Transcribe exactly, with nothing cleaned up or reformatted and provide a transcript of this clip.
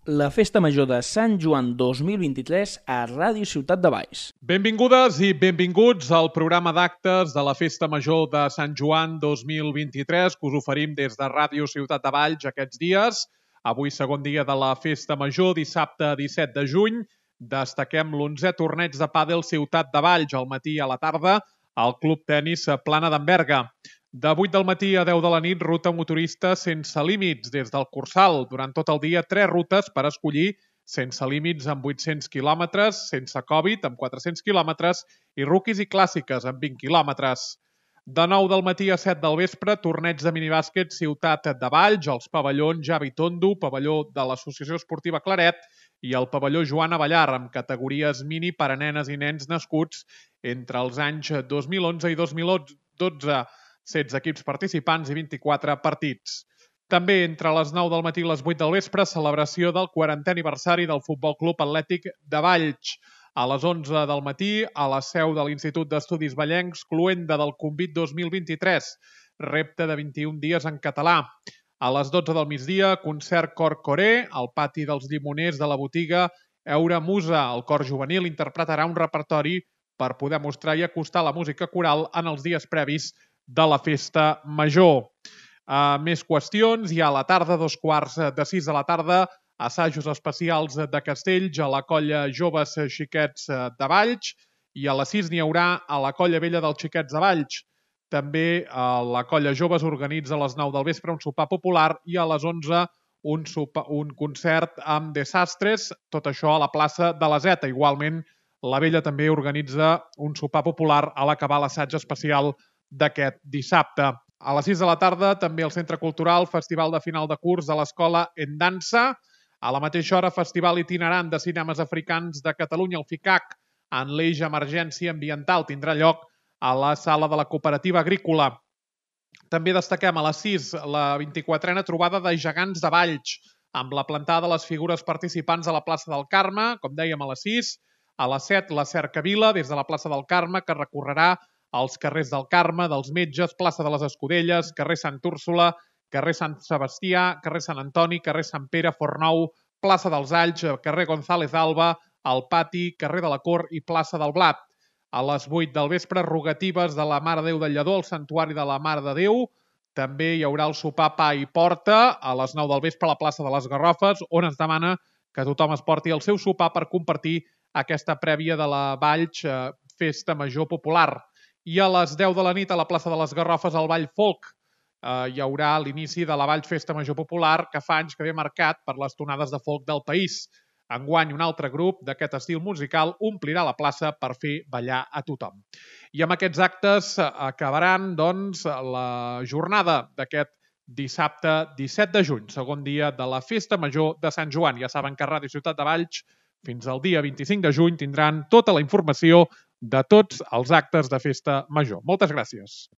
La Festa Major de Sant Joan dos mil vint-i-tres a Ràdio Ciutat de Valls. Benvingudes i benvinguts al programa d'actes de la Festa Major de Sant Joan dos mil vint-i-tres que us oferim des de Ràdio Ciutat de Valls aquests dies. Avui, segon dia de la Festa Major, dissabte disset de juny. Destaquem l'onzè torneig de pàdel Ciutat de Valls al matí i a la tarda al Club Tenis Plana d'Enverga. De vuit del matí a deu de la nit, ruta motorista sense límits des del Cursal. Durant tot el dia, tres rutes per escollir, sense límits amb vuit-cents quilòmetres, sense Covid amb quatre-cents quilòmetres i rookies i clàssiques amb vint quilòmetres. De nou del matí a set del vespre, torneig de minibàsquet Ciutat de Valls, els pavellons Javi Tondo, pavelló de l'Associació Esportiva Claret i el pavelló Joan Avellar, amb categories mini per a nenes i nens nascuts entre els anys dos mil onze i dos mil dotze. setze equips participants i vint-i-quatre partits. També entre les nou del matí i les vuit del vespre, celebració del quarantè aniversari del Futbol Club Atlètic de Valls. A les onze del matí, a la seu de l'Institut d'Estudis Vallencs, cloenda del Convit dos mil vint-i-tres, repte de vint-i-un dies en català. A les dotze del migdia, concert cor coré, al pati dels llimoners de la botiga Eura Musa. El cor juvenil interpretarà un repertori per poder mostrar i acostar la música coral en els dies previs de la Festa Major. Uh, més qüestions. Hi ha a la tarda, dos quarts de sis de la tarda, assajos especials de castells a la colla Joves Xiquets de Valls i a les sis n'hi haurà a la colla vella dels Xiquets de Valls. També uh, la colla Joves organitza a les nou del vespre un sopar popular i a les onze un, sopa, un concert amb desastres, tot això a la plaça de la Zeta. Igualment, la vella també organitza un sopar popular a l'acabar l'assaig especial d'aquest dissabte. A les sis de la tarda, també al Centre Cultural, Festival de Final de Curs de l'Escola en Dansa. A la mateixa hora, Festival Itinerant de Cinemes Africans de Catalunya, el FICAC, en l'eix Emergència Ambiental, tindrà lloc a la sala de la Cooperativa Agrícola. També destaquem a les sis la vint-i-quatrena trobada de gegants de Valls, amb la plantada de les figures participants a la plaça del Carme, com dèiem, a les sis. A les set, la cercavila, des de la plaça del Carme, que recorrerà als carrers del Carme, dels Metges, plaça de les Escudelles, carrer Sant Úrsula, carrer Sant Sebastià, carrer Sant Antoni, carrer Sant Pere, Fornou, plaça dels Alls, carrer González Alba, al pati, carrer de la Cort i plaça del Blat. A les vuit del vespre, rogatives de la Mare de Déu del Lledó al Santuari de la Mare de Déu. També hi haurà el sopar pa i porta a les nou del vespre a la plaça de les Garrofes, on es demana que tothom es porti el seu sopar per compartir aquesta prèvia de la Valls Festa Major Popular. I a les deu de la nit a la plaça de les Garrofes al Ball Folk eh, hi haurà l'inici de la Valls Festa Major Popular que fa anys que ve marcat per les tonades de folk del país. Enguany un altre grup d'aquest estil musical omplirà la plaça per fer ballar a tothom. I amb aquests actes acabaran doncs, la jornada d'aquest dissabte disset de juny, segon dia de la Festa Major de Sant Joan. Ja saben que a Ràdio Ciutat de Valls fins al dia vint-i-cinc de juny tindran tota la informació de tots els actes de Festa Major. Moltes gràcies.